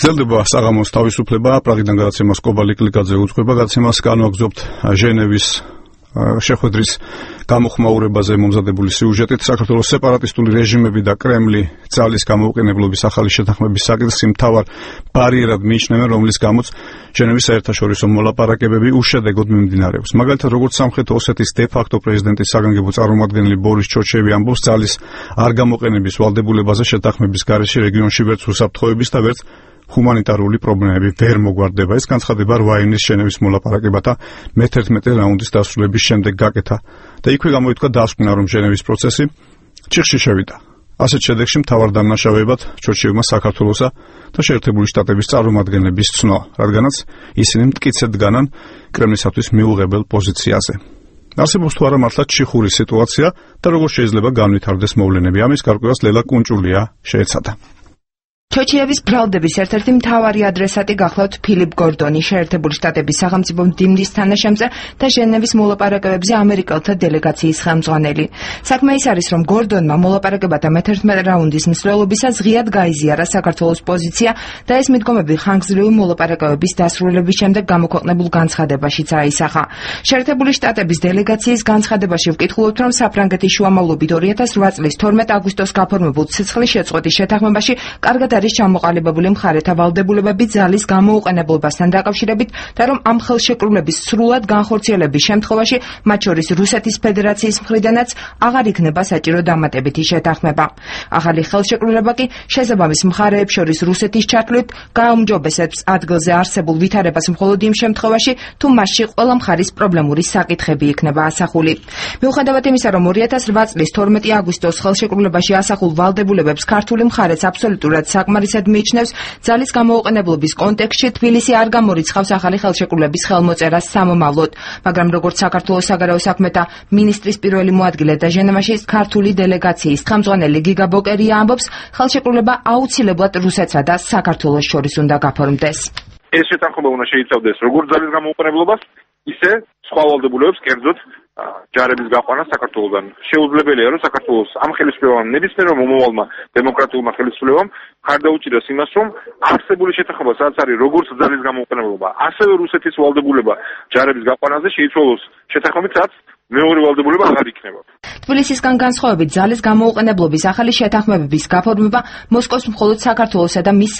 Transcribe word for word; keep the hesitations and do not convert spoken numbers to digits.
გრძელდება საღამოს თავისუფლება, პრაღიდან გადაცემას კობალი კლიკაძე უძღვება, გადაცემას განვაგრძობთ ჟენევის შეხვედრის გამოხმაურებაზე მომზადებული სიუჟეტით. საქართველოს სეპარატისტული რეჟიმები და კრემლი ძალის გამოუყენებლობის ახალი შეთანხმების საკითხს მთავარ ბარიერად მიიჩნევენ, რომლის გამოც ჟენევის საერთაშორისო მოლაპარაკებები უშედეგოდ მიმდინარეობს. მაგალითად, როგორც სამხრეთ ოსეთის დე-ფაქტო პრეზიდენტის საგანგებო წარმომადგენელი ბორის ჩოჩევი ამბობს, ძალის არ გამოყენების ვალდებულებაზე შეთანხმების გარეშე რეგიონში ვერც უსაფრთხოების და ვერც ჰუმანიტარული პრობლემები ვერ მოგვარდება. ეს განცხადება რვა ივნის ჟენევის მოლაპარაკებათა მეთერთმეტე რაუნდის დასრულების შემდეგ გაკეთა და იქვე გამოითქვა დასკვნა, რომ ჟენევის პროცესი ჩიხში შევიდა. ასეთ შედეგში მთავარ დამნაშავეებად ჩოჩევმა საქართველოსა და შეერთებული შტატების წარმომადგენლების ცნო, რადგანაც ისინი მტკიცედ დგანან კრემლისათვის მიუღებელ პოზიციაზე. არსებობს თუ არა მართლაც ჩიხური სიტუაცია და როგორ შეიძლება განვითარდეს მოვლენები. ამის გარკვევას ლელა კუნჭულია შეეცადა. ჩოჩიევის ბრალდების ერთ-ერთი მთავარი ადრესატი გახლავთ ფილიპ გორდონი, შეერთებული შტატების სახელმწიფო მდივნის თანაშემწე და ჟენევის მოლაპარაკებებზე ამერიკელთა დელეგაციის ხელმძღვანელი. საქმე ის არის, რომ გორდონმა მოლაპარაკებათა მეთერთმეტე რაუნდის მსვლელობისას ღიად გაიზიარა საქართველოს პოზიცია და ეს მიდგომები ხანგრძლივი მოლაპარაკებების დასრულების შემდეგ გამოქვეყნებულ განცხადებაშიც აისახა. შეერთებული შტატების დელეგაციის განცხადებაში ვკითხულობთ, რომ საფრანგეთის შუამავლობით ორი ათას რვა წლის თორმეტ აგვისტოს გაფორმებულ ცეცხლის შეწყვეტის შეთანხმებაში კარგად არის ჩამოყალიბებული მხარეთა ვალდებულებები ძალის გამოუყენებლობასთან დაკავშირებით და რომ ამ ხელშეკრულების სრულად განხორციელების შემთხვევაში, მათ შორის რუსეთის ფედერაციის მხრიდანაც აღარ იქნება საჭირო დამატებითი შეთანხმება. ახალი ხელშეკრულება კი შესაბამის მხარეებს შორის რუსეთის ჩათვლით გააუმჯობესებს ადგილზე არსებულ ვითარებას მხოლოდ იმ შემთხვევაში, თუ მასში ყველა მხარის პრობლემური საკითხები იქნება ასახული. მიუხედავად იმისა, რომ ორი ათას რვა წლის თორმეტი აგვისტოს ხელშეკრულებაში ასახულ ვალდებულებებს ქართული მხარეც აბსოლუტურად საკმარისად მიიჩნევს, ძალის გამოუყენებლობის კონტექსტში თბილისი არ გამორიცხავს ახალი ხელშეკრულების ხელმოწერას სამომავლოდ, მაგრამ როგორც საქართველოს საგარეო საქმეთა მინისტრის პირველი მოადგილე და ჟენევაში ქართული დელეგაციის ხელმძღვანელი გიგა ბოკერია ამბობს, ხელშეკრულება აუცილებლად რუსეთსა და საქართველოს შორის უნდა გაფორმდეს. ეს შეთანხმება უნდა შეიცავდეს როგორც ძალის გამოუყენებლობას, ისე სხვა ვალდებულებებს, კერძოდ ჯარების გაყვანა საქართველოსგან. შეუძლებელია, რომ საქართველოს ამ ხელისუფლებამ ნებისმიერმა მომავალმა დემოკრატიულმა ხელისუფლებამ ხარდაუჭიროს იმას, რომ არსებული შეთანხმება, სადაც არის როგორც ძალის გამოუყენებლობა, ასევე რუსეთის ვალდებულება ჯარების გაყვანაზე შეიცვალოს შეთანხმებით, სადაც მეორე ვალდებულება აღარ იქნება. თბილისისგან განსხვავებით, ძალის გამოუყენებლობის ახალი შეთანხმებების გაფორმება მოსკოვს მხოლოდ საქართველოსა და მის